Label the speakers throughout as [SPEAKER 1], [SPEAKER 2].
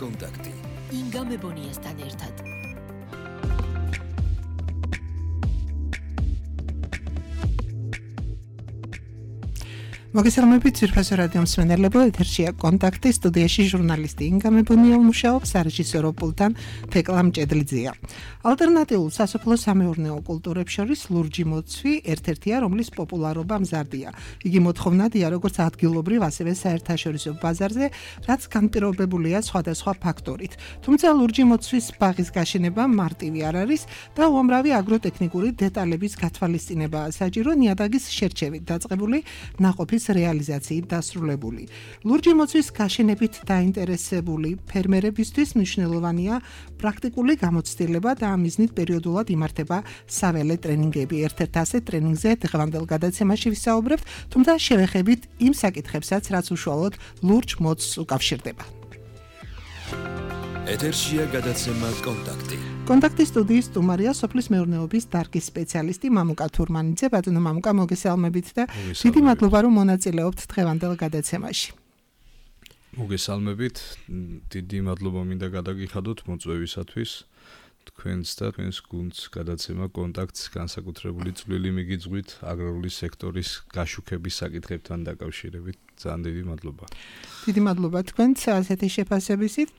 [SPEAKER 1] კონტაქტი
[SPEAKER 2] ინგა მებონიასთან ერთად.
[SPEAKER 3] მოგესალმებით ძვირფასო რადიო მსმენელებო, ეთერშია კონტაქტი, სტუდიაში ჟურნალისტი ინგა მებონია მუშაობს, რეჟისორო პულტან თეკლა მჭედლიძეა. ალტერნატიულ სასოფლო სამეურნეო კულტურებს შორის ლურჯი მოცვი ერთ-ერთია, რომლის პოპულარობა მზარდია. იგი მოთხოვნადია როგორც ადგილობრივ, ასევე საერთაშორისო ბაზარზე, რაც განპირობებულია სხვადასხვა ფაქტორით. თუმცა ლურჯი მოცვის ბაღის გაშენება მარტივი არ არის და უამრავი აგროტექნიკური დეტალების გათვალისწინებაა საჭირო ნიადაგის შერჩევით დაწყებული ნაყოფის რეალიზაციით დასრულებული. ლურჯი მოცვის გაშენებით დაინტერესებული ფერმერებისთვის მნიშვნელოვანია პრაქტიკული გამოცდილება და ამ მიზნით პერიოდულად იმართება საველე ტრენინგები. ერთ-ერთ ასეთ ტრენინგზე დღევანდელ გადაცემაში ვისაუბრებთ, თუმცა შევეხებით იმ საკითხებსაც, რაც უშუალოდ ლურჯ მოცვს უკავშირდება.
[SPEAKER 1] ეთერშია გადაცემა კონტაქტი.
[SPEAKER 3] კონტაქტის სტუდიის სტუმარია სოფლის მეურნეობის დარგის სპეციალისტი მამუკა თურმანიძე. ბატონო მამუკა, მოგესალმებით და დიდი მადლობა, რომ მონაწილეობთ დღევანდელ გადაცემაში.
[SPEAKER 4] მოგესალმებით, დიდი მადლობა მინდა გადაგიხადოთ მოწვევისათვის. თქვენს და თქვენს გუნდს გადაცემა კონტაქტს განსაკუთრებული წვლილი მიგიძღვით აგრარული სექტორის გაშუქების საკითხებთან დაკავშირებით. ძალიან დიდი მადლობა.
[SPEAKER 3] დიდი მადლობა თქვენს ასეთი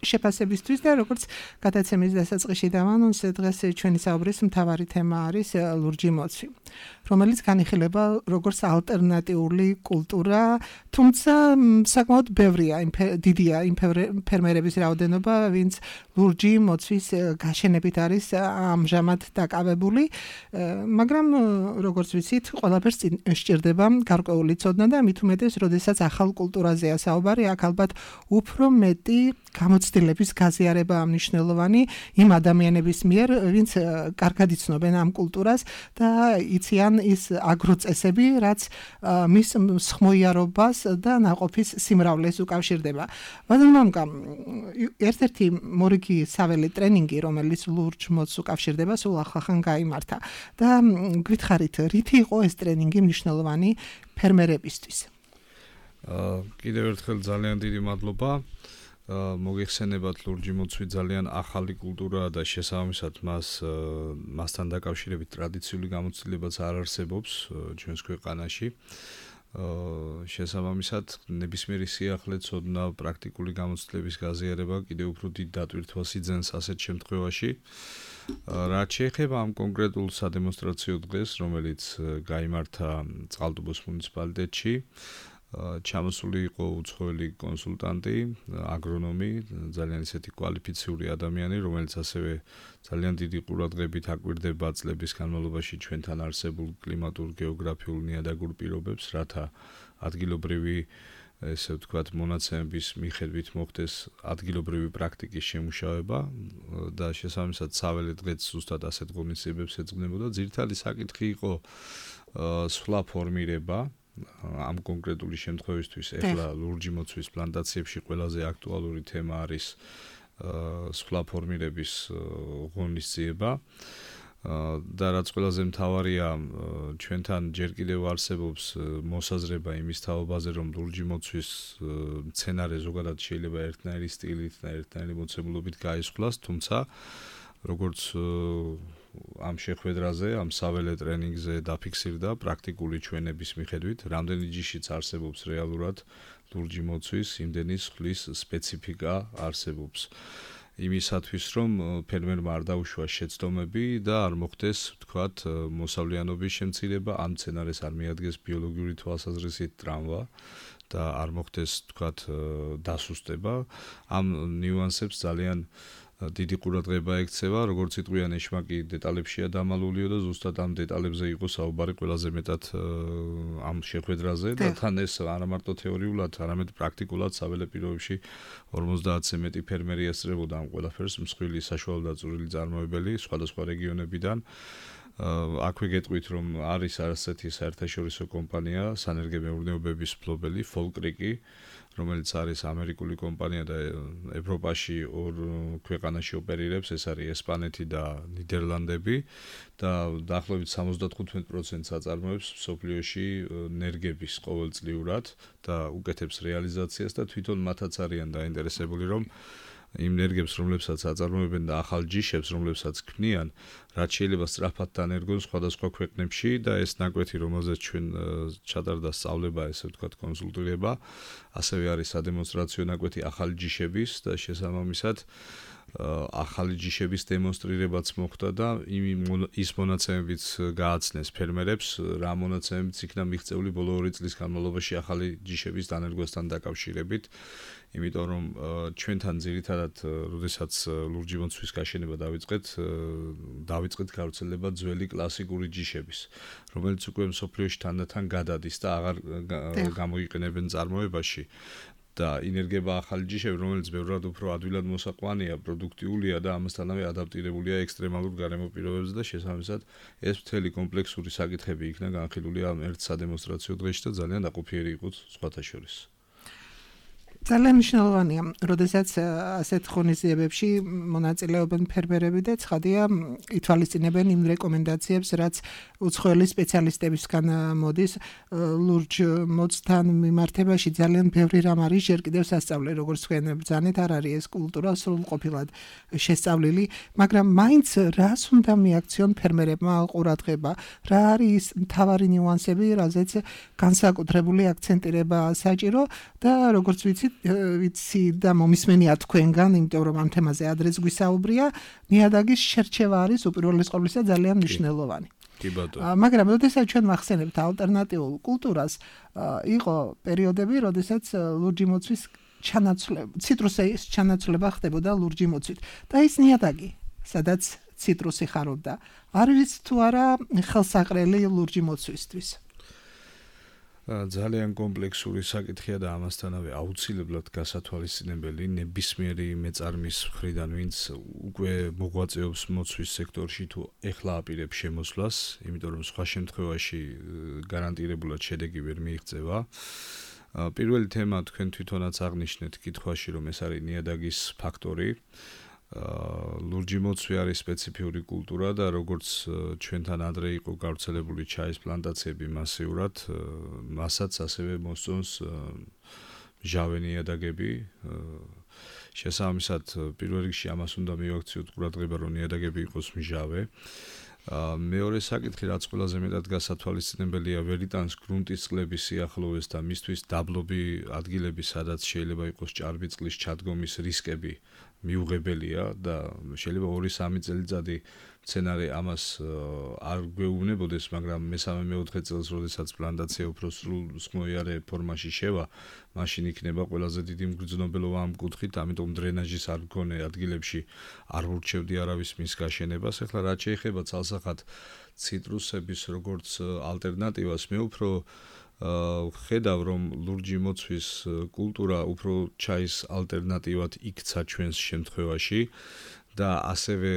[SPEAKER 3] შეფასებისთვის და როგორც გადაცემის დასაწყისში დავანონსე, დღეს ჩვენი საუბრის მთავარი თემა არის ლურჯი მოცვი, რომელიც განიხილება როგორც ალტერნატიული კულტურა, თუმცა საკმაოდ ბევრია, დიდია იმ ფერმერების რაოდენობა, ვინც ლურჯი მოცვის გაშენებით არის ამჟამად დაკავებული, მაგრამ როგორც ვიცით, ყველაფერს სჭირდება გარკვეული ცოდნა და მით უმეტეს, როდესაც ახალ კულტურაზეა საუბარი, აქ ალბათ უფრო მეტი გამოცდილების გაზიარებაა მნიშვნელოვანი იმ ადამიანების მიერ, ვინც კარგად იცნობენ ამ კულტურას და იციან ის აგროწესები, რაც მის მსხმოიარობას და ნაყოფის სიმრავლეს უკავშირდება. ბატონო მამუკა, ერთ-ერთი მორიგი საველე ტრენინგი, რომელიც ლურჯ მოცვს უკავშირდება, სულ ახლახან გაიმართა და გითხარით, რითი იყო ეს ტრენინგი მნიშვნელოვანი ფერმერებისთვის?
[SPEAKER 4] კიდევ ერთხელ ძალიან დიდი მადლობა. მოგეხსენებათ, ლურჯი მოცვი ძალიან ახალი კულტურაა და შესაბამისად მასთან დაკავშირებით ტრადიციული გამოცდილებაც არ არსებობს ჩვენს ქვეყანაში. შესაბამისად, ნებისმიერი სიახლე, ცოდნა, პრაქტიკული გამოცდილების გაზიარება კიდევ უფრო დიდ დატვირთვას იძენს ასეთ შემთხვევაში. რაც შეეხება ამ კონკრეტულ სადემონსტრაციო დღეს, რომელიც გაიმართა წყალტუბოს მუნიციპალიტეტში, ჩამოსული იყო უცხოელი კონსულტანტი, აგრონომი, ძალიან ისეთი კვალიფიციური ადამიანი, რომელიც ასევე ძალიან დიდი ყურადღებით აკვირდება წლების განმავლობაში ჩვენთან არსებულ კლიმატურ, გეოგრაფიულ, ნიადაგურ პირობებს, რათა ადგილობრივი, ესე ვთქვათ, მონაცემების მიხედვით მოხდეს ადგილობრივი პრაქტიკის შემუშავება და შესაბამისად საველე დღეც ზუსტად ასეთ ღონისძიებებს ეძღვნებოდა. ძირითადი საკითხი იყო სვლა ფორმირება. ამ კონკრეტული შემთხვევისთვის ეხლა ლურჯი მოცვის პლანტაციებში ყველაზე აქტუალური თემა არის სვლა ფორმირების ღონისძიება და რაც ყველაზე მთავარია, ჩვენთან ჯერ კიდევ არსებობს მოსაზრება იმის თაობაზე, რომ ლურჯი მოცვის მცენარე ზოგადად შეიძლება ერთნაირი სტილით და ერთნაირი მოცემულობით გაისხვლას, თუმცა როგორც ამ შეხვედრაზე, ამ საველე ტრენინგზე დაფიქსირდა პრაქტიკული ჩვენების მიხედვით, რამდენი ჯიშიც არსებობს რეალურად ლურჯი მოცვის, იმდენი სხვლის სპეციფიკა არსებობს. იმისათვის, რომ ფერმერმა არ დაუშვას შეცდომები და არ მოხდეს, ვთქვათ, მოსავლიანობის შემცირება, ამ მცენარეს არ მიადგეს ბიოლოგიური თვალსაზრისით ტრავმა და არ მოხდეს, ვთქვათ, დასუსტება. ამ ნიუანსებს ძალიან დიდი ყურადღება ექცევა, როგორც იტყვიან ეშმაკი დეტალებშია დამალულიო და ზუსტად ამ დეტალებზე იყო საუბარი ყველაზე მეტად ამ შეხვედრაზე და თან ეს არა მარტო თეორიულად, არამედ პრაქტიკულად საველე პირობებში 50-ზე მეტი ფერმერი ესწრებოდა ამ ყველაფერს, მსხვილი საშუალო და წვრილი წარმოებელი სხვადასხვა რეგიონებიდან. აქვე გეტყვით, რომ არის ასეთი საერთაშორისო კომპანია, სანერგემეურნეობების მფლობელი, Folkriki, რომელიც არის ამერიკული კომპანია და ევროპაში ორ ქვეყანაში ოპერირებს, ეს არის ესპანეთი და ნიდერლანდები და დაახლოებით 75%-ს აწარმოებს მსოფლიოში ნერგების ყოველწლიურად და უკეთებს რეალიზაციას და თვითონ მათაც არიან დაინტერესებული, რომ იმ ენერგიებს, რომლებსაც აწარმოებენ და ახალ ჯიშებს, რომლებსაც ქმნიან, რაც შეიძლება სწრაფად დანერგონ სხვადასხვა ქვეყნებში და ეს ნაკვეთი, რომელზეც ჩვენ ჩატარდა სწავლება, ესე ვთქვათ, კონსულტირება, ასევე არის სადემონსტრაციო ნაკვეთი ახალი ჯიშების და შესაბამისად ახალი ჯიშების დემონსტრირებაც მოხდა და ის მონაცემებიც გააცნეს ფერმერებს, რა მონაცემებიც იქნა მიღწეული ბოლო 2 წლის განმავლობაში ახალი ჯიშების დანერგვასთან დაკავშირებით, იმიტომ რომ ჩვენთან ძირითადად, როდესაც ლურჯი მოცვის გაშენება დავიწყეთ გავრცელება ძველი კლასიკური ჯიშების, რომელიც უკვე მსოფლიოში თანდათან გადადის და აღარ გამოიყენებენ წარმოებაში. და ინერგება ახალი ჯიშები, რომელიც ბევრად უფრო ადვილად მოსაყვანია, პროდუქტიულია და ამასთანავე ადაპტირებულია ექსტრემალურ გარემო პირობებზე და შესაბამისად ეს მთელი კომპლექსური საკითხები იქნა განხილული ამ ერთ სადემონსტრაციო დღეში და ძალიან დაყოფიერი იყო სხვათა შორის.
[SPEAKER 3] ძალიან მნიშვნელოვანია, როდესაც ასეთ ღონისძიებებში მონაწილეობენ ფერმერები და ცხადია ითვალისწინებენ იმ რეკომენდაციებს, რაც უცხოელი სპეციალისტებისგან მოდის ლურჯ მოცთან მიმართებაში. ძალიან ბევრი რამ არის ჯერ კიდევ სასწავლე, როგორც თქვენ ბრძანეთ, არ არის ეს კულტურა სრულყოფილად შესწავლილი, მაგრამ მაინც რას უნდა მიაქციონ ფერმერებმა ყურადღება, რა არის მთავარი ნიუანსები, რაზეც განსაკუთრებული აქცენტირება საჭირო და როგორც ვიცი და მომისმენია თქვენგან, იმიტომ რომ ამ თემაზე ადრეც გვისაუბრია, ნიადაგის შერჩევა არის უპირველეს ყოვლისა ძალიან მნიშვნელოვანი.
[SPEAKER 4] კი ბატონო.
[SPEAKER 3] მაგრამ როდესაც ჩვენ ვახსენებთ ალტერნატიულ კულტურას, იყო პერიოდები, როდესაც ლურჯი მოცვის ციტრუსის ჩანაცვლება ხდებოდა ლურჯი მოცვით და ის ნიადაგი, სადაც ციტრუსი ხარობდა, არის თუ არა ხელსაყრელი ლურჯი მოცვისთვის.
[SPEAKER 4] ძალიან კომპლექსური საკითხია და ამასთანავე აუცილებლად გასათვალისწინებელი ნებისმიერი მეწარმის მხრიდან, ვინც უკვე მოღვაწეობს მოცვის სექტორში თუ ეხლა აპირებს შემოსვლას, იმიტომ რომ სხვა შემთხვევაში გარანტირებულად შედეგი ვერ მიიღწევა. პირველი თემა თქვენ თვითონაც აღნიშნეთ კითხვაში, რომ ეს არის ნიადაგის ფაქტორი. ლურჯი მოცვი არის სპეციფიური კულტურა და როგორც ჩვენთან ადრე იყო გავრცელებული ჩაის პლანტაციები მასიურად, მასაც ასევე მოსწონს მჟავე ნიადაგები. შესაბამისად, პირველ რიგში ამას უნდა მივაქციოთ ყურადღება, რომ ნიადაგები იყოს მჟავე. მეორე საკითხი, რაც ყველაზე მეტად გასათვალისწინებელია, ვერ იტანს გრუნტის წყლების სიახლოვეს და მისთვის დაბლობი ადგილები, სადაც შეიძლება იყოს ჭარბი წყლის ჩადგომის რისკები მიუღებელია და შეიძლება 2-3 წელიწადი სცენარი ამას არ გვეუბნებოდეს, მაგრამ მე-3-4 წელს, როდესაც პლანტაცია უფრო სრულსხმოიარე ფორმაში შევა, მაშინ იქნება ყველაზე დიდი მგრძნობელობა ამ კუთხით, ამიტომ დრენაჟის არ მქონე ადგილებში არ ვურჩევდი არავის მის გაშენებას. ეხლა რაც შეეხება ცალსახად ციტრუსების როგორც ალტერნატივას, მე უფრო ხედავ, რომ ლურჯი მოცვის კულტურა უფრო ჩაის ალტერნატივად იქცა ჩვენს შემთხვევაში და ასევე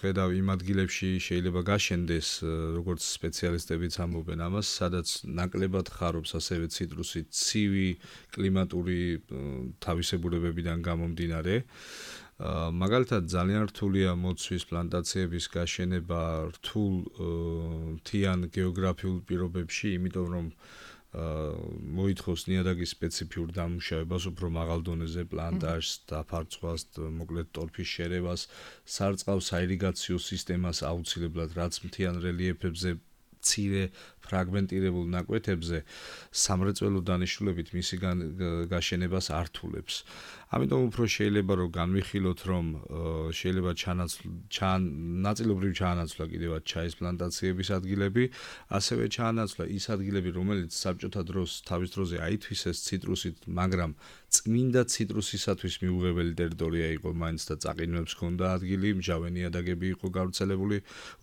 [SPEAKER 4] ხედავ იმ ადგილებში შეიძლება გაშენდეს, როგორც სპეციალისტებიც ამბობენ ამას, სადაც ნაკლებად ხარობს ასევე ციტრუსი ცივი კლიმატური თავისებურებებიდან გამომდინარე. მაგალითად ძალიან რთულია მოცვის პლანტაციების გაშენება რთულ მთიან გეოგრაფიულ პირობებში, იმიტომ რომ მოითხოვს ნიადაგის სპეციფიურ დამუშავებას, უფრო მაღალ დონეზე პლანტაჟს, დაფარცვას, მოკლედ ტორფის შერევას, სარწყავ საირიგაციო სისტემას აუცილებლად, რაც მთიან რელიეფებზე მცირე ფრაგმენტირებულ ნაკვეთებზე სამრეწველო დანიშნულებით მისი გაშენებას ართულებს. ამიტომ უფრო შეიძლება რომ განვიხილოთ, რომ შეიძლება ნაწილობრივ ჩაანაცვლა კიდევაც ჩაის პლანტაციების ადგილები, ასევე ჩაანაცვლა ის ადგილები, რომელიც საბჭოთა დროს თავის დროზე აითვისეს ციტრუსით, მაგრამ წმინდა ციტრუსისათვის მიუღებელი ტერიტორია იყო მაინც და წაყინვებს ჰქონდა ადგილი, მჟავე ნიადაგები იყო გავრცელებული,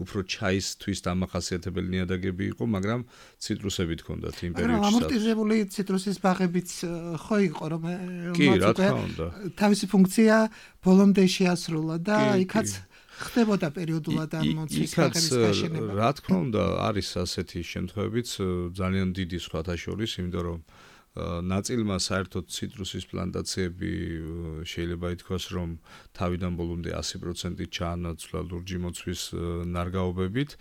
[SPEAKER 4] უფრო ჩაისთვის დამახასიათებელი ნიადაგები იყო, მაგრამ ციტრუსებით ჰქონდათ იმ პერიოდში.
[SPEAKER 3] ამორტიზებული ციტრუსის ბაღებიც ხო იყო, რომ
[SPEAKER 4] კი, რა თქმა უნდა.
[SPEAKER 3] თავისი ფუნქცია ბოლომდე შეასრულა და იქაც ხდებოდა პერიოდულად ამ მოცვის ბაღების გაშენება.
[SPEAKER 4] რა თქმა უნდა, არის ასეთი შემთხვევებიც ძალიან დიდი სხვათა შორის, იმიტომ რომ ნაწილმა საერთოდ ციტრუსის პლანტაციები შეიძლება ითქვას, რომ თავიდან ბოლომდე 100%-ით ჩაანაცვლა ლურჯი მოცვის ნარგაობებით,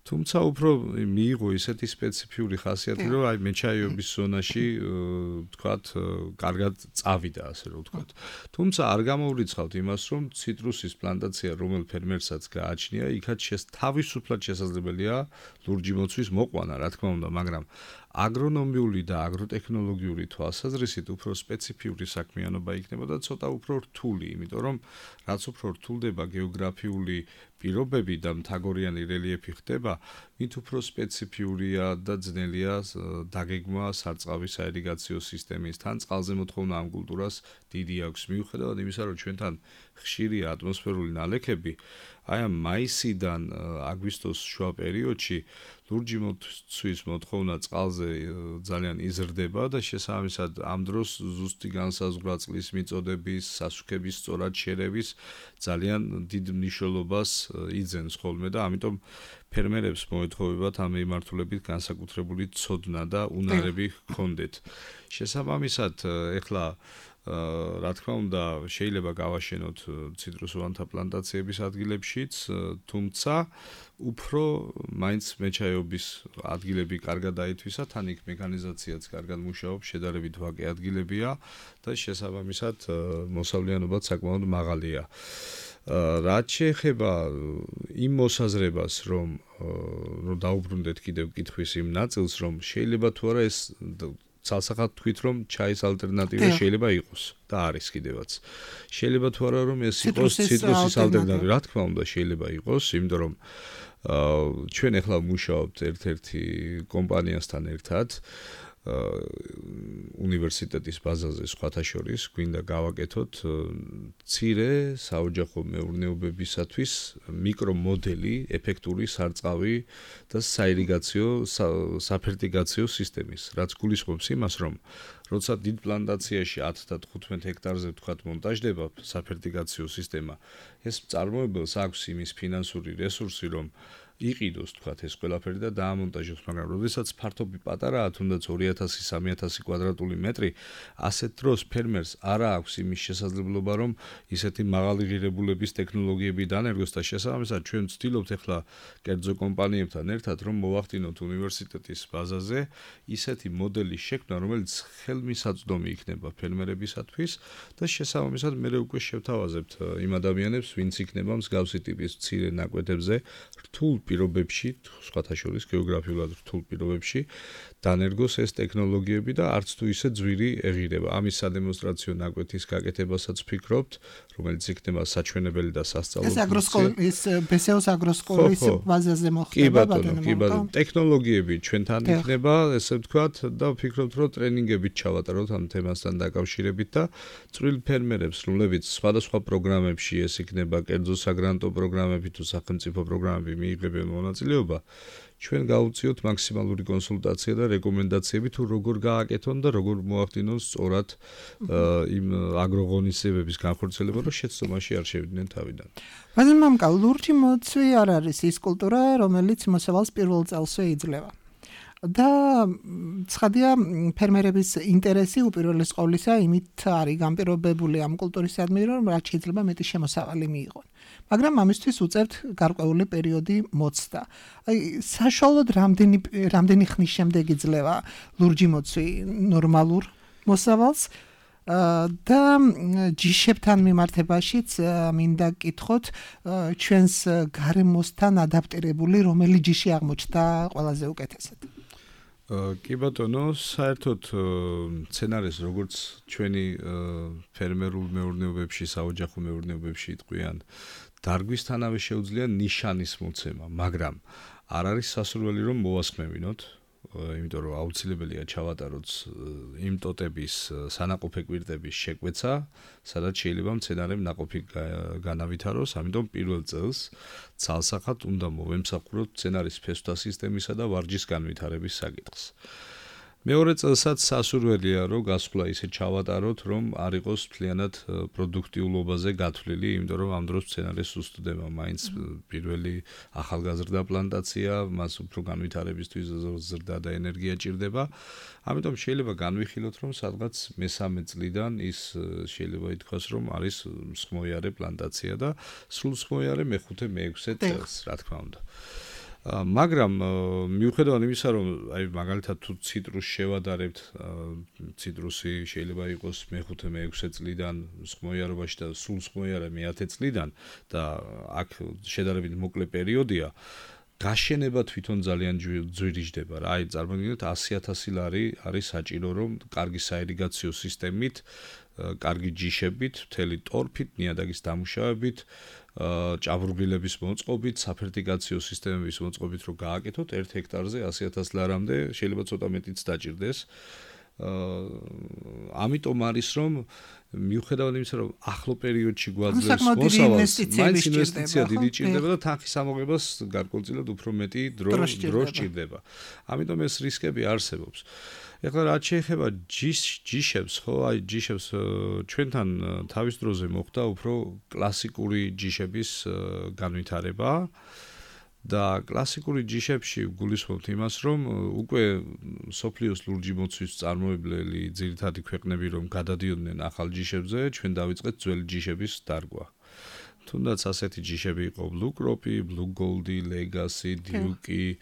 [SPEAKER 4] თუმცა უფრო მიიღო ისეთი სპეციფიური ხასიათი, რომ აი მეჩაიეობის ზონაში ვთქვათ, კარგად წავიდა, ასე რომ ვთქვათ. თუმცა არ გამოვრიცხავთ იმას, რომ ციტრუსის პლანტაცია რომელ ფერმერსაც გააჩნია, იქაც თავისუფლად შესაძლებელია ლურჯი მოცვის მოყვანა, რა თქმა უნდა, მაგრამ აგრონომიული და აგროტექნოლოგიური თვალსაზრისით უფრო სპეციფიური საქმიანობა იქნება და ცოტა უფრო რთული, იმიტომ რომ რაც უფრო რთულდება გეოგრაფიული პირობები და მთაგორიანი რელიეფი ხდება, მით უფრო სპეციფიურია და ძნელია დაგეგმა სარწყავის საირიგაციო სისტემის. თან წყალზე მოთხოვნა ამ კულტურას დიდი აქვს, მიუხედავად იმისა, რომ ჩვენთან ხშირია ატმოსფერული ნალექები, აი ამ მაისიდან აგვისტოს შუა პერიოდში ლურჯი მოცვის მოთხოვნა წყალზე ძალიან იზრდება და შესაბამისად ამ დროს ზუსტი განსაზღვრა წყლის მიწოდების, სასუქების სწორად შერევის ძალიან დიდ მნიშვნელობას იძენს ხოლმე და ამიტომ ფერმერებს მოეთხოვებათ ამ მიმართულებით განსაკუთრებული ცოდნა და უნარები ჰქონდეთ. შესაბამისად, ეხლა რა თქმა უნდა, შეიძლება გავაშენოთ ციტრუსოვანთა პლანტაციების ადგილებშიც, თუმცა უფრო მაინც მეჩაიეობის ადგილები კარგად დაითვისა, თან იქ მექანიზაციაც კარგად მუშაობს, შედარებით ვაკე ადგილებია და შესაბამისად მოსავლიანობაც საკმაოდ მაღალია. რაც შეეხება იმ მოსაზრებას, რომ დაუბრუნდეთ კიდევ კითხვის იმ ნაწილს, რომ შეიძლება თუ არა ეს ცალსახად თქვით, რომ ჩაის ალტერნატივა შეიძლება იყოს და არის კიდევაც. შეიძლება თუ არა რომ ეს იყოს ციტრუსის ალტერნატივა, რა თქმა უნდა შეიძლება იყოს, იმიტომ რომ ჩვენ ახლა მუშაობთ ერთ-ერთი კომპანიასთან ერთად უნივერსიტეტის ბაზაზე სხვათა შორის გვინდა გავაკეთოთ მცირე საოჯახო მეურნეობებისათვის მიკრომოდელი ეფექტური სარწყავი და საირიგაციო საფერტიგაციო სისტემის, რაც გულისხმობს იმას, რომ როცა დიდ პლანტაციაში 10 და 15 ჰექტარზე ვთქვათ მონტაჟდება საფერტიგაციო სისტემა, ეს მწარმოებელს აქვს იმის ფინანსური რესურსი, რომ იყიდოს თქვათ ეს ყველაფერი და დაამონტაჟოს, მაგრამ როდესაც ფართობი პატარაა, თუნდაც 2000-3000 კვადრატული მეტრი, ასეთ დროს ფერმერს არა აქვს იმის შესაძლებლობა, რომ ისეთი მაღალი ღირებულების ტექნოლოგიები დანერგოს და შესაბამისად ჩვენ ვცდილობთ ახლა კერძო კომპანიებთან ერთად, რომ მოვახდინოთ უნივერსიტეტის ბაზაზე ისეთი მოდელის შექმნა, რომელიც ხელმისაწვდომი იქნება ფერმერებისათვის და შესაბამისად მე უკვე შევთავაზებთ იმ ადამიანებს, ვინც იქნება მსგავსი ტიპის მცირე ნაკვეთებზე რთულ პირობებში, სხვათა შორის გეოგრაფიულად რთულ პირობებში დანერგოს ეს ტექნოლოგიები და არც თუ ისე ძვირი ეღირება. ამის სადემონსტრაციო ნაკვეთის გაკეთებასაც ვფიქრობთ, რომელიც იქნება საჩვენებელი და სასწავლო.
[SPEAKER 3] ეს აგროსკოლის ბესეოს აგროსკოლის ბაზაზე მოხდება ბატონო.
[SPEAKER 4] კი ბატონო, ტექნოლოგიები ჩვენთან იქნება, ესე ვთქვათ და ვფიქრობთ, რომ ტრენინგებით ჩავატაროთ ამ თემასთან დაკავშირებით და წვრილ ფერმერებს, რომლებიც სხვადასხვა პროგრამებში ეს იქნება კერძო საგრანტო პროგრამები თუ სახელმწიფო პროგრამები მიიღებენ მონაწილეობა, ჩვენ გავუწიოთ მაქსიმალური კონსულტაცია და რეკომენდაციები თუ როგორ გააკეთონ და როგორ მოახდინონ სწორად იმ აგროღონისძიებების განხორციელება, რომ შეცდომაში არ შევიდნენ თავიდან.
[SPEAKER 3] ბატონო მამკა, ლურჯი მოცვი არ არის ის კულტურა, რომელიც მოსავალს პირველ წელსვე იძლევა. და ცხადია ფერმერების ინტერესი უპირველეს ყოვლისა იმით არის განპირობებული ამ კულტურისადმი, რომ რაც შეიძლება მეტი შემოსავალი მიიღონ. მაგრამ ამისთვის უწევთ გარკვეული პერიოდი მოცდა. აი საშუალოდ რამდენი ხნის შემდეგ იძლევა ლურჯი მოცვი ნორმალურ მოსავალს და ჯიშებთან მიმართებაშიც მინდა გკითხოთ ჩვენს გარემოსთან ადაპტირებული რომელი ჯიში აღმოჩნდა ყველაზე უკეთესად.
[SPEAKER 4] კი ბატონო, საერთოდ სცენარეს როგორც ჩვენი ფერმერულ მეურნეობებში, საოჯახო მეურნეობებში იტყვიან, დარგვისთანავე შეუძლია ნიშანის მოცემა, მაგრამ არ არის სასურველი რომ მოვასხმევინოთ, იმიტომ რომ აუცილებელია ჩავატაროთ იმ ტოტების სანაყოფე კვირტების შეკვეცა, სადაც შეიძლება მცენარემ ნაყოფი განავითაროს, ამიტომ პირველ წელს ცალსახად უნდა მოვემსახუროთ მცენარის ფესვთა სისტემისა და ვარჯის განვითარების საკითხს. მეორე წელსაც სასურველია რომ გასვლა ისე ჩავატაროთ რომ არ იყოს მთლიანად პროდუქტიულობაზე გათვლილი, იმიტომ რომ ამ დროს სცენარი სუსტდება, მაინც პირველი ახალგაზრდა პლანტაცია, მას უფრო განვითარებისთვის ზრდა და ენერგია ჭირდება. ამიტომ შეიძლება განვიხილოთ რომ სადღაც მესამე წლიდან ის შეიძლება ითქვას რომ არის მსხმოიარე პლანტაცია და სულ მსხმოიარე მეხუთე მეექვსე წელს, რა თქმა უნდა. მაგრამ მიუხედავად იმისა, რომ აი მაგალითად თუ ციტრუსს შევადარებთ, ციტრუსი შეიძლება იყოს მეხუთე მეექვსე წლიდან მსხმოიარობაში და სულ მსხმოიარე მე-10 წლიდან და აქ შედარებით მოკლე პერიოდია, გაშენება თვითონ ძალიან ძვირიჯდება რა. აი წარმოგიდგენთ 100,000 ლარი არის საჭირო რომ კარგი საირიგაციო სისტემით, კარგი ჯიშებით, მთელი ტორფით, ნიადაგის დამუშავებით, ჭაბურღილების მოწყობით, საფერტიკაციო სისტემების მოწყობით რო გააკეთოთ 1 ჰექტარზე 100,000 ლარამდე, შეიძლება ცოტა მეტიც დაჭირდეს. ამიტომ არის რომ მიუხედავად იმისა რომ ახლო პერიოდში გვაძლევს მოსავალს, მაინც ინვესტიცია დიდი ჭირდება და თანხის ამოღებას გარკვეულწილად უფრო მეტი დრო სჭირდება. ამიტომ ეს რისკები არსებობს. ეხლა რაც შეეხება ჯიშებს, ხო, აი ჯიშებს ჩვენთან თავის დროზე მოხდა უფრო კლასიკური ჯიშების განვითარება და კლასიკური ჯიშებში გულისხმობთ იმას, რომ უკვე სოფლიოს ლურჯი მოცვის წარმოებლელი ძირითადი ქვეყნები რომ გადადიოდნენ ახალ ჯიშებზე, ჩვენ დავიწყეთ ძველი ჯიშების დარგვა. თუნდაც ასეთი ჯიშები იყო Blue Crop-ი, Blue Gold-ი, Legacy, Duke-ი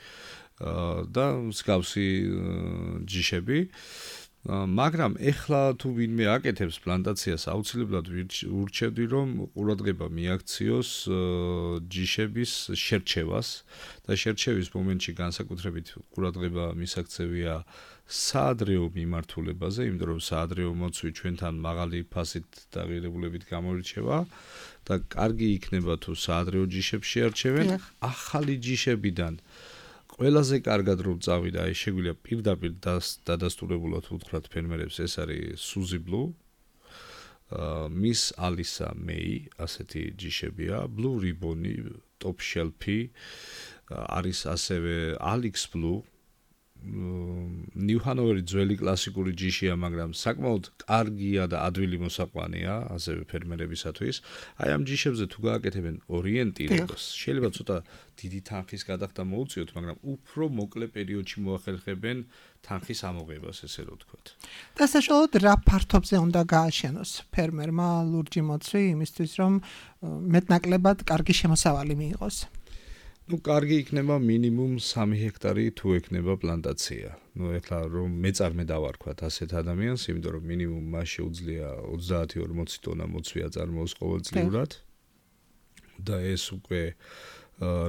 [SPEAKER 4] და მსგავსი ჯიშები. მაგრამ ეხლა თუ ვინმე აკეთებს პლანტაციას, აუცილებლად ურჩევდი რომ ყურადღება მიაქციოს ჯიშების შერჩევას და შერჩევის მომენტში განსაკუთრებით ყურადღება მისაქცევია საადრეო მიმართულებაზე, იმიტომ რომ საადრეო მოცვი ჩვენთან მაღალი ფასით დაღირებულებით გამორჩება და კარგი იქნება თუ საადრეო ჯიშებს შეარჩევენ ახალი ჯიშებიდან. ყველაზე კარგად რომ წავიდა, აი შეგვიძლია პირდაპირ დადასტურებულად უთხრათ ფერმერებს, ეს არის Suzy Blue, Miss Alisa May, ასეთი ჯიშებია, Blue Ribbon-ი, Top Shelf-ი, არის ასევე Alex Blue, New Hanover-ი ძველი კლასიკური ჯიშია, მაგრამ საკმაოდ კარგია და ადვილი მოსაყვანია, ასევე ფერმერებისათვის. აი ამ ჯიშებზე თუ გააკეთებენ ორიენტირებას, შეიძლება ცოტა დიდი თანხის გადახდა მოუწიოთ, მაგრამ უფრო მოკლე პერიოდში მოახერხებენ თანხის ამოღებას, ესე რომ ვთქვათ.
[SPEAKER 3] და საშუალოდ რა ფართობზე უნდა გააშენოს ფერმერმა ლურჯი მოცვი იმისთვის, რომ მეტნაკლებად კარგი შემოსავალი მიიღოს?
[SPEAKER 4] Ну, კარგი იქნება მინიმუმ 3 ჰექტარი თუ ექნება პლანტაცია. Ну, ეხლა რომ მეწარმე დავარქვათ ასეთ ადამიანს, იმიტომ რომ მინიმუმ მას შეუძლია 30-40 ტონა მოცვი აწარმოოს ყოველწლიურად. და ეს უკვე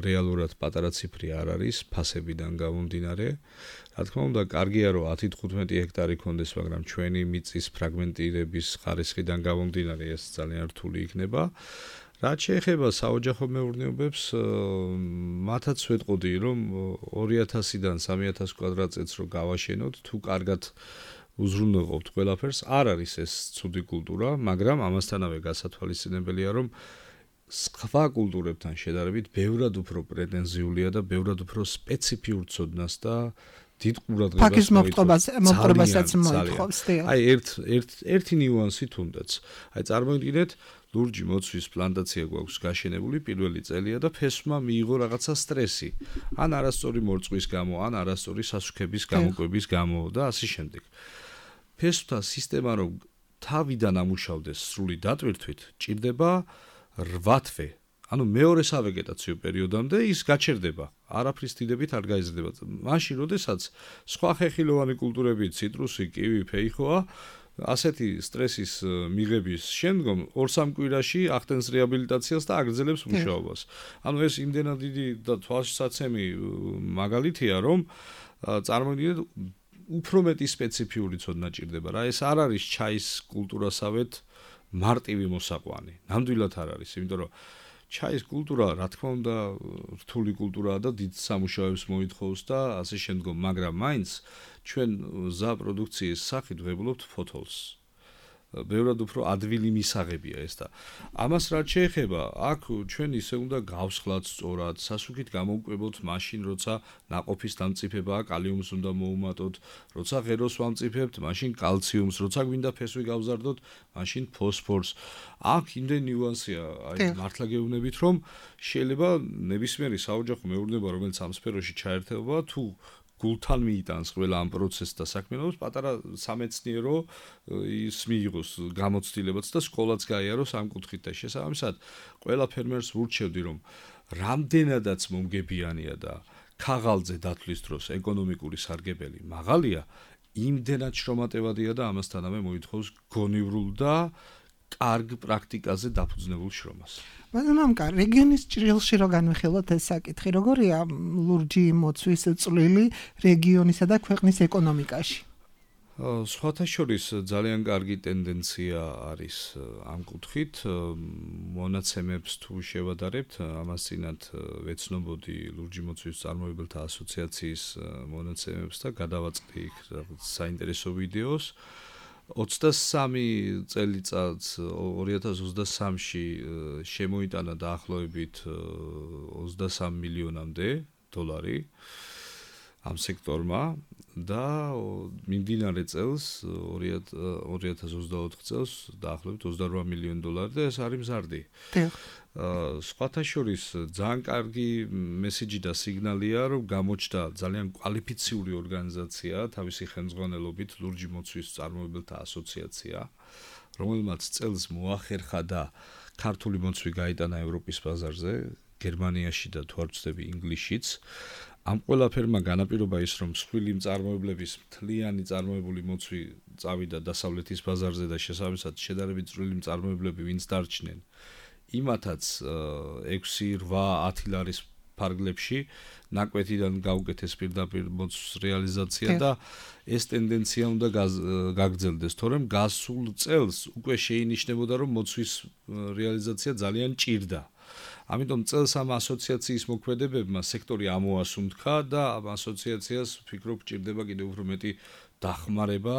[SPEAKER 4] რეალურად პატარა ციფრი არ არის, ფასებიდან გამომდინარე. რა თქმა უნდა, კარგია რომ 10-15 ჰექტარი კონდეს, მაგრამ ჩვენი მიწის ფრაგმენტირების ხარისხიდან გამომდინარე ეს ძალიან რთული იქნება. რაც შეეხება საოჯახო მეურნეობებს, მათაც ვეტყოდი, რომ 2000-დან 3000 კვადრატწეთს რო გავაშენოთ, თუ კარგად უზრუნველყოფთ ყველაფერს, არ არის ეს ცუდი კულტურა, მაგრამ ამასთანავე გასათვალისწინებელია, რომ სხვა კულტურებთან შედარებით ბევრად უფრო პრეტენზიულია და ბევრად უფრო სპეციფიურ ცოდნას და დიდ ყურადღებას
[SPEAKER 3] მოპყრობასაც მოითხოვს.
[SPEAKER 4] აი ერთი ნიუანსი თუნდაც. აი წარმოგიდგინეთ, ლურჯი მოცვის პლანტაცია გვაქვს გაშენებული პირველი წელია და ფესვმა მიიღო რაღაცა სტრესი. ან არასწორი მორწყვის გამო, ან არასწორი სასუქების გამოკვების გამო და ასე შემდეგ. ფესვთა სისტემა რომ თავიდან ამუშავდეს სრული დატვირთვით, ჭირდება 8 თვე. ანუ მეორე სავეგეტაციო პერიოდამდე ის გაჩერდება. არაფრის დიდებით არ გაიზრდება. მაშინ, როდესაც სხვა ხეხილოვანი კულტურები, ციტრუსი, კივი, ფეიხოა, ასეთი სტრესის მიღების შემდგომ 2-3 კვირაში ახდენს რეაბილიტაციას და აგრძელებს მუშაობას. ანუ ეს იმდენად დიდი და თვალსაცემი მაგალითია, რომ წარმოგიდგენთ უფრო მეტი სპეციფიური ცოდნა ჭირდება რა. ეს არ არის ჩაის კულტურასავეთ მარტივი მოსაყვანი. ნამდვილად არ არის, იმიტომ რომ ჩაის კულტურა, რა თქმა უნდა, რთული კულტურაა და დიდ სამუშაოებს მოითხოვს და ასე შემდგომ, მაგრამ მაინც ჩვენ ზა პროდუქციის სახით ვღებულობთ ფოთოლს. ბევრად უფრო ადვილი მისაღებია ეს და ამას რაც შეეხება, აქ ჩვენ ისე უნდა გავსხლათ სწორად, სასუქით გამოვკვებოთ მაშინ, როცა ნაყოფის დამწიფებაა, კალიუმს უნდა მოუმატოთ, როცა ღეროს ვამწიფებთ, მაშინ კალციუმს, როცა გვინდა ფესვი გავზარდოთ, მაშინ ფოსფორს. აქ იმდენ ნიუანსია, მართლა გეუბნებით, რომ შეიძლება ნებისმიერი საოჯახო მეურნეობა, რომელიც ამ სფეროში ჩაერთება, თუ გულთან მიიტანს ყველა ამ პროცესს და საქმიანობას, პატარა სამეცნიერო ის მიიღოს გამოცდილებაც და სკოლაც გაიაროს ამ კუთხით და შესაბამისად ყველა ფერმერს ვურჩევდი, რომ რამდენადაც მომგებიანია და ქაღალდზე დათვლის დროს ეკონომიკური სარგებელი მაღალია, იმდენად შრომატევადია და ამასთანავე მოითხოვს გონივრულ და კარგ პრაქტიკაზე დაფუძნებულ შრომას.
[SPEAKER 3] მამკა, რეგიონის ჭრილში რო განვიხილოთ ეს საკითხი, როგორია ლურჯი მოცვის წვლილი რეგიონისა და ქვეყნის ეკონომიკაში?
[SPEAKER 4] სხვათა შორის ძალიან კარგი ტენდენცია არის ამ კუთხით. მონაცემებს თუ შევადარებთ, ამას წინათ ვეცნობოდი ლურჯი მოცვის წარმოებელთა ასოციაციის მონაცემებს და გადავაწყდი იქ საინტერესო ვიდეოს. 23 წელიწადს 2023-ში შემოიტანა დაახლოებით 23 მილიონამდე დოლარი ამ სექტორმა და მიმდინარე წელს 2024 წელს დაახლოებით 28 მილიონი დოლარი და ეს არის მზარდი. სხვათა შორის ძალიან კარგი მესიჯი და სიგნალია, რომ გამოჩნდა ძალიან კვალიფიციური ორგანიზაცია თავისი ხელმძღვანელობით ლურჯი მოცვის წარმოებელთა ასოციაცია, რომელმაც წელს მოახერხა და ქართული მოცვი გაიტანა ევროპის ბაზარზე, გერმანიაში და თუ არ ვცდები ინგლისშიც. ამ ყველაფერმა განაპირობა ის, რომ მსხვილი მწარმოებლების მთლიანი წარმოებული მოცვი წავიდა დასავლეთის ბაზარზე და შესაბამისად შედარებით წვრილი მწარმოებლები ვინც დარჩნენ, იმათაც 6-8 ლარის ფარგლებში ნაკვეთიდან გაუკეთეს პირდაპირ მოცვის რეალიზაცია და ეს ტენდენცია უნდა გაგრძელდეს, თორემ გასულ წელს უკვე შეინიშნებოდა, რომ მოცვის რეალიზაცია ძალიან ჭირდა. ამიტომ წელს ამ ასოციაციის მოქმედებებმა სექტორი ამოასუნთქა და ამ ასოციაციას ვფიქრობ ჭირდება კიდევ უფრო მეტი დახმარება,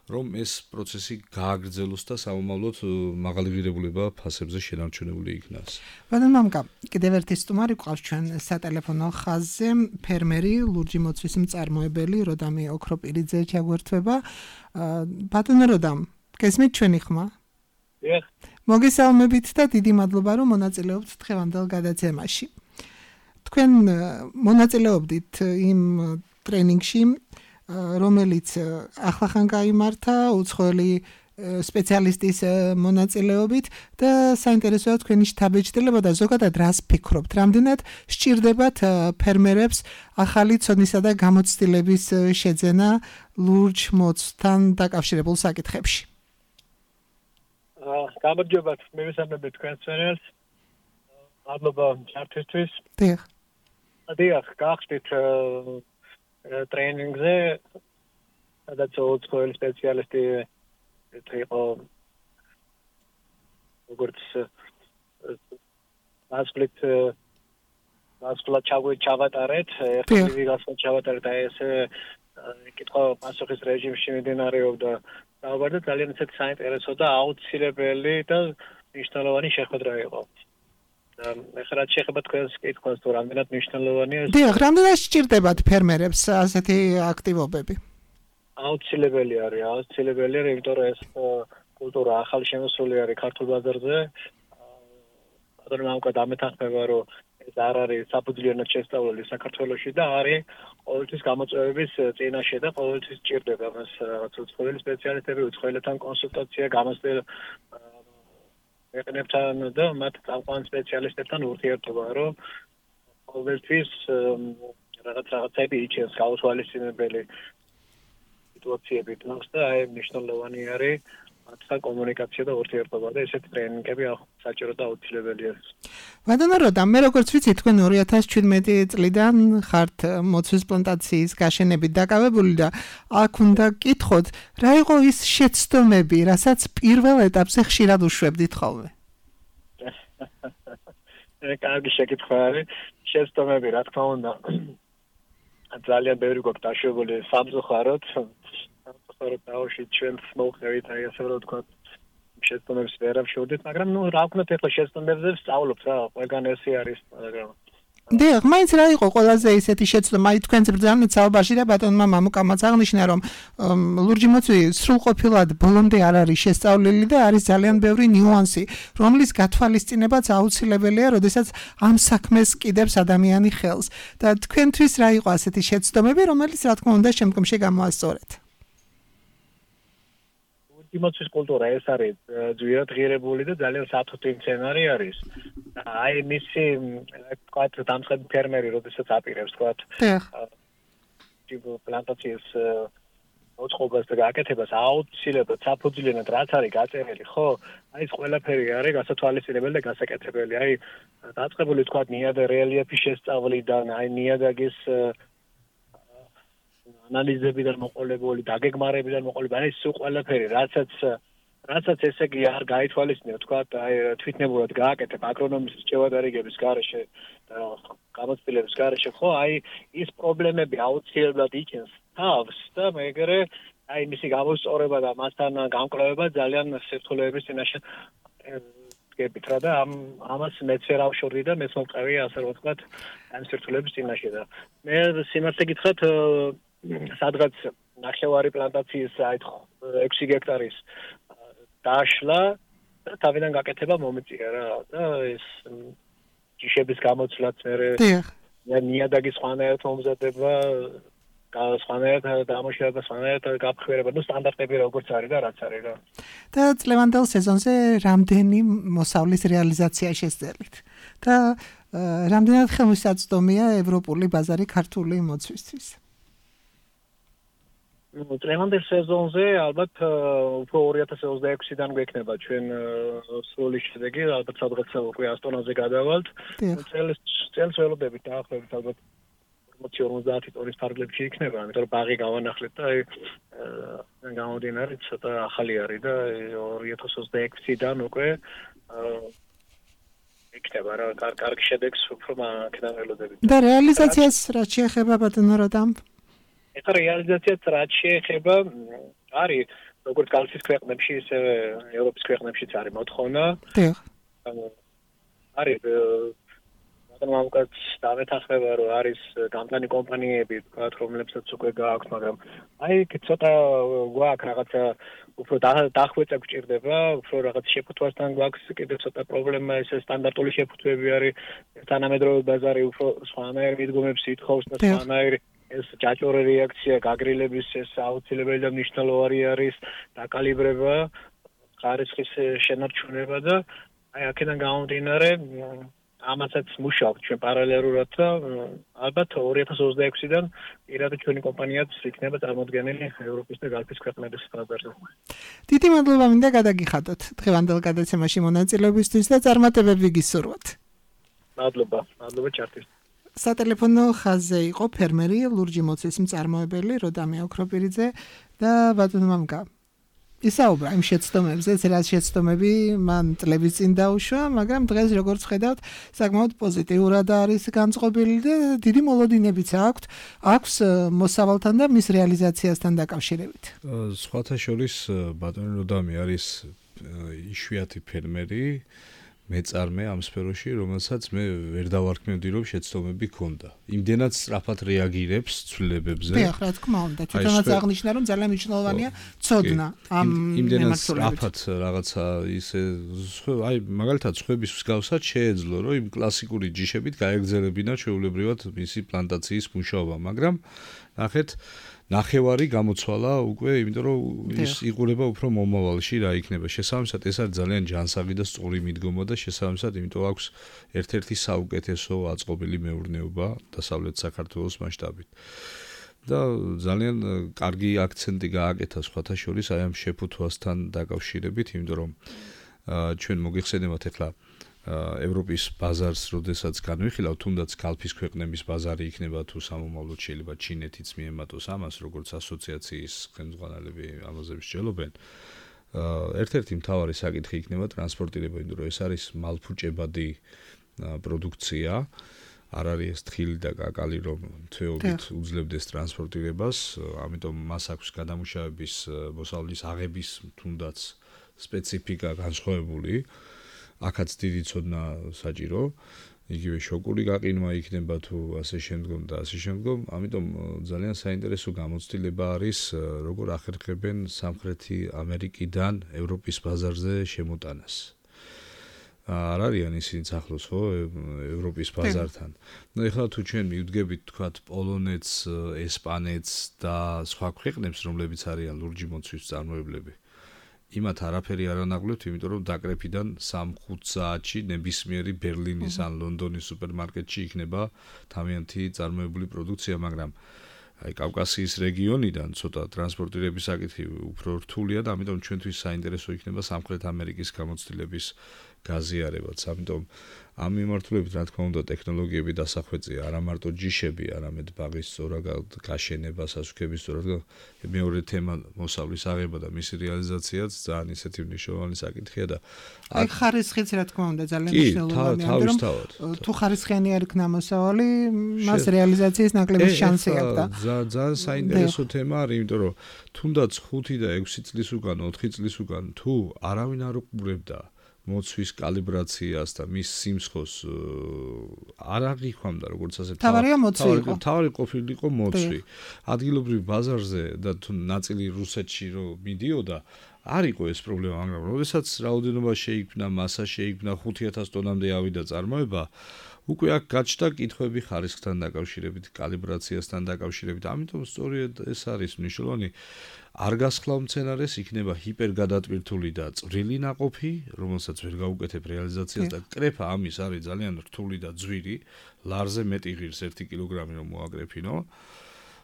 [SPEAKER 4] რომ ეს პროცესი გააგრძელოს და სამომავლოდ მაღალი ღირებულება ფასებზე შენარჩუნებული იქნას.
[SPEAKER 3] ბატონო მამკა, კიდევ ერთი სტუმარი გვყავს ჩვენ სატელეფონო ხაზზე, ფერმერი, ლურჯი მოცვის მწარმოებელი როდამი ოქროპირიძე ჩაგვერთვება. ბატონო როდამ, გესმით ჩვენი ხმა? მოგესალმებით და დიდი მადლობა, რომ მონაწილეობთ დღევანდელ გადაცემაში. თქვენ მონაწილეობდით იმ ტრენინგში, რომელიც ახლახან გაიმართა უცხოელი სპეციალისტის მონაწილეობით და საინტერესოა თქვენი შთაბეჭდილება და ზოგადად რას ფიქრობთ, რამდენად სჭირდებათ ფერმერებს ახალი ცოდნისა და გამოცდილების შეძენა ლურჯ მოცვთან დაკავშირებულ საკითხებში?
[SPEAKER 5] გამარჯობათ, მივესალმებით თქვენს წინაშე. მადლობა ჩართვისთვის. დიახ, გახდით ტრენინგზე, სადაც უცხოელი სპეციალისტი იყო როგორც მასკლად ჩავატარეთ, ერთი გასვლა ჩავატარეთ და ეს კითხვა-პასუხის რეჟიმში მიმდინარეობდა. დაავარდა ძალიან ისეთი საინტერესო და აუცილებელი და მნიშვნელოვანი შეხვედრა იყო. ეხლა რაც შეეხება თქვენს კითხვას, თუ რამდენად მნიშვნელოვანია ეს?
[SPEAKER 3] დიახ, რამდენად სჭირდებათ ფერმერებს ასეთი აქტივობები?
[SPEAKER 5] აუცილებელი არის, იმიტომ რომ ეს კულტურა ახალი შემოსული არის ქართულ ბაზარზე. ბატონო მამკა დამეთანხმება, რომ ეს არ არის საფუძვლიანად შესწავლილი საქართველოში და არის ყოველთვის გამოწვევების წინაშე და ყოველთვის სჭირდება მას რაღაც უცხოელი სპეციალისტები, უცხოელებთან კონსულტაცია, გამოცდილება ეყნებთან და მათ წამყვან სპეციალისტებთან ურთიერთობა, რომ ყოველთვის რაღაცები იჩენს გაუთვალისწინებელი სიტუაციები თავს და აი მნიშვნელოვანი არის მათთან კომუნიკაცია და ურთიერთობა და ესეთი ტრენინგები საჭირო და აუცილებელია.
[SPEAKER 3] ბატონო როდამ, მე როგორც ვიცი, თქვენ 2017 წლიდან ხართ მოცვის პლანტაციის გაშენებით დაკავებული და აქ უნდა გკითხოთ, რა იყო ის შეცდომები, რასაც პირველ ეტაპზე ხშირად უშვებდით ხოლმე?
[SPEAKER 5] კარგი შეკითხვა არის. შეცდომები, რა თქმა უნდა, ძალიან ბევრი გვაქვს დაშვებული სამწუხაროდ. დავში ჩვენს მოუხევით, აი ასე რომ ვთქვათ, შეცდომებს ვერ ავშორდით, მაგრამ რა ვქნათ ახლა შეცდომებზე ვსწავლობთ რა, ყველგან ესე არის, მაგრამ
[SPEAKER 3] დიახ, მაინც რა იყო ყველაზე ისეთი შეცდომა, აი თქვენს ბრძანეთ საუბარში და ბატონმა მამუკამაც აღნიშნა, რომ ლურჯი მოცვი სრულყოფილად ბოლომდე არ არის შესწავლილი და არის ძალიან ბევრი ნიუანსი, რომლის გათვალისწინებაც აუცილებელია, როდესაც ამ საქმეს კიდევს ადამიანი ხელს. და თქვენთვის რა იყო ასეთი შეცდომები, რომელიც რა თქმა უნდა შემდგომში გამოასწორეთ?
[SPEAKER 5] იმოცვის კულტურა ეს არის ძვირად ღირებული და ძალიან საფრთხე მცენარე არის. აი მისი თქვათ დამწყები ფერმერი, როდესაც აპირებს თქვათ ტიპ პლანტაციის მოწყობას და გაკეთებას აუცილებლად საფუძვლიანად რაც არის გაწერილი, ხო? აი ეს ყველაფერი არის გასათვალისწინებელი და გასაკეთებელი. აი დაწყებული თქვათ ნიადაგ რელიეფის შესწავლიდან, აი ნიადაგის ანალიზებიდან მოყოლებული, დაგეგმარებიდან მოყოლებული, აი ეს ყველაფერი, რასაც ესე იგი არ გაითვალისწინებ, თქვათ, აი თვითნებურად გააკეთებ აგრონომის რჩევადარიგების გარეშე და გამოცდილების გარეშე, ხო, აი ის პრობლემები აუცილებლად იჩენს თავს და მეგრე აი მისი გამოსწორება და მასთან გამკვლევება ძალიან სირთულეების წინაშე გებით რა და ამას მეც ვერ ავშორდი და მეც მოვყევი ასე რომ ვთქვათ ამ სირთულეების წინაშე და მე სიმართლე გითხრათ სადღაც ნახევარი პლანტაციის აი 6 ჰექტარის დაშლა და თავიდან გაკეთება მომიწია რა და ეს ჯიშების გამოცვლაც მე ნიადაგის სხვანაირად მომზადება სხვანაირად დამუშავება, სხვანაირად გაფრთხილება, ნუ სტანდარტები როგორც არის და რაც არის რა.
[SPEAKER 3] და წლევანდელ სეზონზე რამდენი მოსავლის რეალიზაცია შესძელით? და რამდენად ხელმისაწვდომია ევროპული ბაზარი ქართული მოცვისთვის?
[SPEAKER 5] წლევანდელ სეზონზე ალბათ უფრო 2026-დან გვექნება ჩვენ სრული შედეგი, ალბათ სადღაც უკვე ასტონაზე გადავალთ. წელს ველოდებით დაახლოებით ალბათ 40 ტონის ფარგლებში იქნება, იმიტომ რომ ბაღი გავანახლეთ და აი გამომდინარე ცოტა ახალი არის და 2026-დან უკვე იქნება რა კარგი შედეგს უფრო მაქედან ველოდებით.
[SPEAKER 3] და რეალიზაციას რაც შეეხება ბატონო როდამ?
[SPEAKER 5] ეხლა რეალიზაციას რაც შეეხება არის როგორც კალთის ქვეყნებში, ისე ევროპის ქვეყნებშიც არის მოთხოვნა.
[SPEAKER 3] დიახ.
[SPEAKER 5] არის მამუკაც დამეთანხმება რომ არის გამტანი კომპანიები, თქვათ, რომლებსაც უკვე გააქვთ, მაგრამ აი ცოტა გვაქვს რაღაცა უფრო დახვეწა გვჭირდება, უფრო რაღაც შეფუთვასთან გვაქვს კიდე ცოტა პრობლემა, ეს სტანდარტული შეფუთვები არის, თანამედროვე ბაზარი უფრო სხვანაირ მიდგომებს ითხოვს და სხვანაირი ეს ჯაჭვური რეაქცია, გაგრილების ეს აუცილებელი და მნიშვნელოვანი არის, დაკალიბრება, ხარისხის შენარჩუნება და აი აქედან გამომდინარე ამასაც მუშაობთ ჩვენ პარალელურად და ალბათ 2026-დან პირადად ჩვენი კომპანიაც იქნება წარმოდგენილი ევროპის და გალფის ქვეყნების ბაზარზე.
[SPEAKER 3] დიდი მადლობა მინდა გადაგიხადოთ დღევანდელ გადაცემაში მონაწილეობისთვის და წარმატებები გისურვოთ.
[SPEAKER 5] მადლობა ჩართის.
[SPEAKER 3] სატელეფონო ხაზზე იყო ფერმერი ლურჯი მოცვის მწარმოებელი როდამე ოქროპირიძე და ბატონო მამუკა. ისაუბრა იმ შეცდომებზე, რაც შეცდომები მან წლების წინ დაუშვა, მაგრამ დღეს როგორც ხედავთ, საკმაოდ პოზიტიურად არის განწყობილი და დიდი მოლოდინებიც აქვს მოსავალთან და მის რეალიზაციასთან დაკავშირებით.
[SPEAKER 4] სხვათა შორის ბატონი როდამი არის იშვიათი ფერმერი, მეწარმე ამ სფეროში, რომელსაც მე ვერ დავარქმევდი, რომ შეცდომები ქონდა. იმდენად სწრაფად რეაგირებს ცვლილებებზე.
[SPEAKER 3] დიახ, რა თქმა უნდა, თვითონაც აღნიშნა, რომ ძალიან მნიშვნელოვანია ცოდნა ამ
[SPEAKER 4] იმდენად სწრაფად რაღაცა ისე აი მაგალითად სხვების მსგავსად შეეძლო, რომ იმ კლასიკური ჯიშებით გაეგრძელებინა ჩვეულებრივად მისი პლანტაციის მუშაობა, მაგრამ ნახეთ ნახევარი გამოცვალა უკვე, იმიტომ რომ ის იყურება უფრო მომავალში რა იქნება. შესაბამისად ეს არის ძალიან ჯანსაღი და სწორი მიდგომა და შესაბამისად იმიტომ აქვს ერთ-ერთი საუკეთესო აწყობილი მეურნეობა დასავლეთ საქართველოს მასშტაბით. და ძალიან კარგი აქცენტი გააკეთა სხვათა შორის აი ამ შეფუთვასთან დაკავშირებით, იმიტომ რომ ჩვენ მოგიხსენებათ ახლა ევროპის ბაზარს, როდესაც განვიხილავთ, თუნდაც კალფის ქვეყნების ბაზარი იქნება თუ სამომავლოდ შეიძლება ჩინეთიც მიემატოს ამას, როგორც ასოციაციის ხელმძღვანელები ამაზე მსჯელობენ. ერთ-ერთი მთავარი საკითხი იქნება ტრანსპორტირება, იმიტომ რომ ეს არის მალფუჭებადი პროდუქცია, არ არის ეს თხილი და კაკალი, რომ თვეობით უძლებდეს ტრანსპორტირებას, ამიტომ მას აქვს გადამუშავების მოსავლის აღების თუნდაც სპეციფიკა განსხვავებული. აქაც დიდი ცოდნა საჭირო. იგივე შოკური გაყინვა იქნება თუ ასე შემდგომ და ასე შემდგომ. ამიტომ ძალიან საინტერესო გამოცდილება არის როგორ ახერხებენ სამხრეთი ამერიკიდან ევროპის ბაზარზე შემოტანას. არ არიან ისინი ახლოს ხო ევროპის ბაზართან. ნუ ეხლა თუ ჩვენ მივდგებით თქვათ პოლონეთს, ესპანეთს და სხვა ქვეყნებს, რომლებიც არიან ლურჯი მოცვის წარმოებლები. იმათ არაფერი არ ანაღლებთ, იმიტომ რომ დაკრეფიდან 3-5 საათში ნებისმიერი ბერლინის ან ლონდონის სუპერმარკეტში იქნება თავიანთი წარმოებული პროდუქცია, მაგრამ აი კავკასიის რეგიონიდან ცოტა ტრანსპორტირების საკითხი უფრო რთულია და ამიტომ ჩვენთვის საინტერესო იქნება სამხრეთ ამერიკის გამოცდილების გაზიარებაც. ამიტომ ამ მიმართულებით რა თქმა უნდა ტექნოლოგიები დასახვეწია არა მარტო ჯიშები, არამედ ბაღის სწორად გაშენება, სასუქების სწორად მეორე თემა მოსავლის აღება და მისი რეალიზაციაც ძალიან ისეთი მნიშვნელოვანი საკითხია და
[SPEAKER 3] აი ხარისხიც რა თქმა უნდა ძალიან მნიშვნელოვანია, რომ თუ ხარისხიანი არ იქნა მოსავალი, მას რეალიზაციის ნაკლები შანსი აქვს და
[SPEAKER 4] ძალიან საინტერესო თემა არის, იმიტომ რომ თუნდაც 5 და 6 წლის უკან, 4 წლის უკან თუ არავინ არ უყურებდა მოცვის კალიბრაციას და მის სიმსხოს არ აღიქვამდა როგორც ასე თავი ყოფილიყო მოცვი. ადგილობრივ ბაზარზე და თუ ნაწილი რუსეთში რომ მიდიოდა არ იყო ეს პრობლემა, მაგრამ როდესაც რაოდენობა შეიქმნა, მასა შეიქმნა 5000 ტონამდე ავიდა წარმოება, უკვე აქ გაჩნდა კითხვები ხარისხთან დაკავშირებით, კალიბრაციასთან დაკავშირებით. ამიტომ სწორედ ეს არის მნიშვნელოვანი. არ გასხლავ მცენარეს იქნება ჰიპერგადატვირთული და წვრილი ნაყოფი, რომელსაც ვერ გაუკეთებ რეალიზაციას და კრეფა ამის არის ძალიან რთული და ძვირი, ლარზე მეტი ღირს 1 კილოგრამი რომ მოაკრეფინო.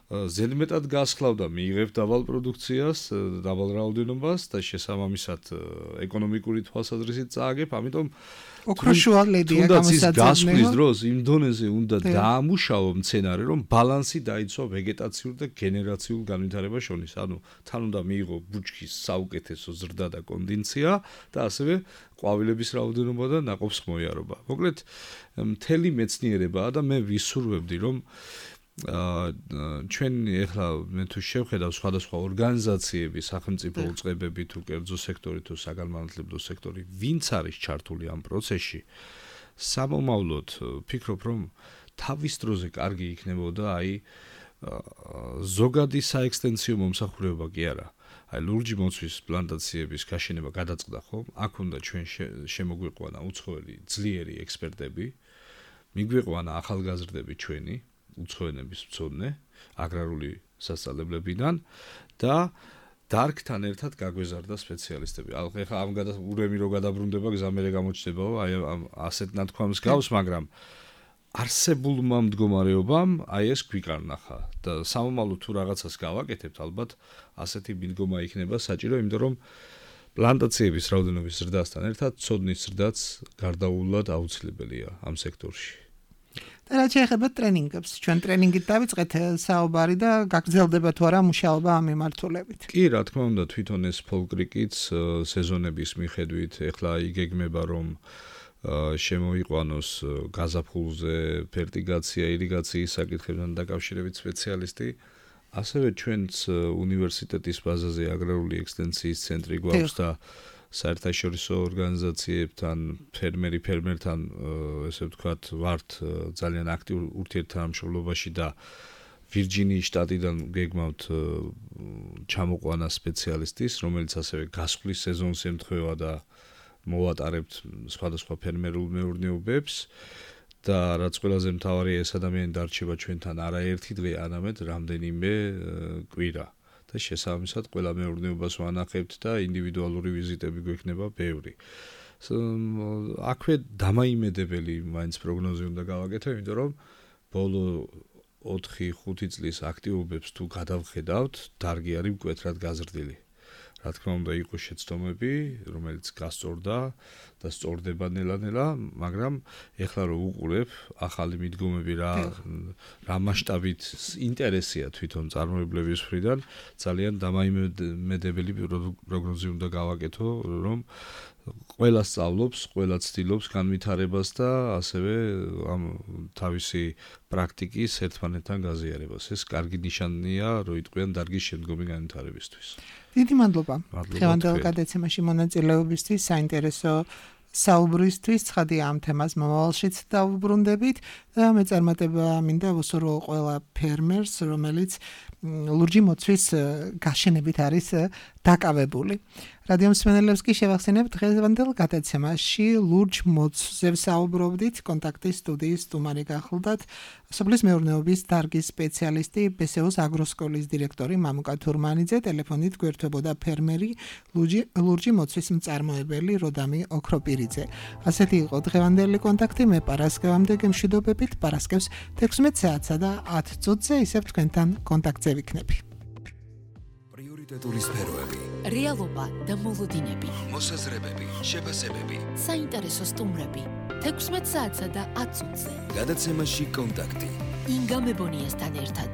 [SPEAKER 4] ზედმეტად გასხლავ და მიიღებ დაბალ პროდუქციას, დაბალ რაოდენობას და შესაბამისად ეკონომიკური თვალსაზრისით წააგებ, ამიტომ
[SPEAKER 3] ოქროშუალედია
[SPEAKER 4] გამოსაძებნელო. გასვლის დროს იმ დონეზე უნდა დაამუშავო მცენარე, რომ ბალანსი დაიცვა ვეგეტაციურ და გენერაციულ განვითარებას შორის. ანუ თან უნდა მიიღო ბუჩქის საუკეთესო ზრდა და კონდიცია და ასევე ყვავილების რაოდენობა და ნაყოფს მოიარობა. მოკლედ, მთელი მეცნიერებაა და მე ვისურვებდი, რომ ჩვენ ეხლა მე თუ შევხედავ სხვადასხვა ორგანიზაციები, სახელმწიფო უწყებები თუ კერძო სექტორი თუ საგანმანათლებლო სექტორი, ვინც არის ჩართული ამ პროცესში, სამომავლოდ ვფიქრობ, რომ თავის დროზე კარგი იქნებოდა აი ზოგადი საექსტენსიო მომსახურება კი არა. აი ლურჯი მოცვის პლანტაციების გაშენება გადაწყდა ხო? აქ უნდა ჩვენ შემოგვიყვანა უცხოელი ძლიერი ექსპერტები, მიგვიყვანა ახალგაზრდები ჩვენი უცხოენების მცოდნე აგრარული სასწავლებლებიდან და დარგთან ერთად გაგვეზარდა სპეციალისტები. ახლა ამ ურემი რო გადაბრუნდება, გზამერე გამოჩნდებაო, აი ასეთ ნათქვამს გავს, მაგრამ არსებულმა მდგომარეობამ აი ეს გვიკარნახა და სამომავლოდ თუ რაღაცას გავაკეთებთ, ალბათ ასეთი მიდგომა იქნება საჭირო, იმიტომ რომ პლანტაციების რაოდენობის ზრდასთან ერთად ცოდნის ზრდაც გარდაუვლად აუცილებელია ამ სექტორში.
[SPEAKER 3] და რაც შეეხება ტრენინგებს, ჩვენ ტრენინგით დავიწყეთ საუბარი და გაგრძელდება თუ არა მუშაობა ამ მიმართულებით.
[SPEAKER 4] კი, რა თქმა უნდა, თვითონ ეს ფოლკრიკიც სეზონების მიხედვით ეხლა იგეგმება, რომ შემოიყვანოს გაზაფხულზე ფერტიგაცია, ირიგაციის საკითხებთან დაკავშირებით სპეციალისტი. ასევე ჩვენც უნივერსიტეტის ბაზაზე აგრარული ექსტენსიის ცენტრი გვაქვს და საერთაშორისო ორგანიზაციებთან, ფერმერთან, ესე ვთქვათ, ვართ ძალიან აქტიურ ურთიერთთანამშრომლობაში და ვირჯინიის შტატიდან გეგმავთ ჩამოყვანა სპეციალისტის, რომელიც ასევე გასვლის სეზონს ემთხვევა და მოვატარებთ სხვადასხვა ფერმერულ მეურნეობებს და რაც ყველაზე მთავარია, ეს ადამიანი დარჩება ჩვენთან არა ერთი დღე, არამედ რამდენიმე კვირა. და შესაბამისად ყველა მეურნეობას ვანახებთ და ინდივიდუალური ვიზიტები გვექნება ბევრი. აქვე დამაიმედებელი მაინც პროგნოზი უნდა გავაკეთო, იმიტომ რომ ბოლო 4-5 წლის აქტივობებს თუ გადავხედავთ, დარგი არის მკვეთრად გაზრდილი. რა თქმა უნდა, იყო შეცდომები, რომელიც გასწორდა და სწორდება ნელა-ნელა, მაგრამ ეხლა რო უყურებ, ახალი მიდგომები რა მასშტაბით ინტერესია თვითონ წარმოებლების მხრიდან, ძალიან დამაიმედებელი პროგნოზი უნდა გავაკეთო, რომ ყველა სწავლობს, ყველა ცდილობს განვითარებას და ასევე ამ თავისი პრაქტიკის ერთმანეთთან გაზიარებას. ეს კარგი ნიშანია, რომ იტყვიან დარგის შემდგომი განვითარებისთვის.
[SPEAKER 3] დიდი მადლობა. დღევანდელ გადაცემაში მონაწილეობისთვის, საინტერესო საუბრისთვის, ცხადია ამ თემას მომავალშიც დავუბრუნდებით და მე წარმატება მინდა ვუსურვო ყველა ფერმერს, რომელიც ლურჯი მოცვის გაშენებით არის დაკავებული. რადიო მსმენელებს კი შევახსენებ დღევანდელ გადაცემაში ლურჯ მოცვზე ვსაუბრობდით, კონტაქტის სტუდიის სტუმარი გახლდათ სოფლის მეურნეობის დარგის სპეციალისტი, ბესეოს აგროსკოლის დირექტორი მამუკა თურმანიძე, ტელეფონით გვერდებოდა ფერმერი ლურჯი მოცვის მწარმოებელი როდამი ოქროპირიძე. ასეთი იყო დღევანდელი კონტაქტი, მე პარასკევამდე გემშვიდობებით, პარასკევს 16 საათსა და 10 წუთზე ისევ თქვენთან კონტაქტზე ვიქნები.
[SPEAKER 1] პრიორიტეტული სფეროები,
[SPEAKER 2] რეალობა და მოლოდინები,
[SPEAKER 1] მოსაზრებები, შეფასებები,
[SPEAKER 2] საინტერესო სტუმრები 16 საათსა და 10 წუთზე.
[SPEAKER 1] გადაცემაში კონტაქტი.
[SPEAKER 2] ინგა მებონიასთან ერთად.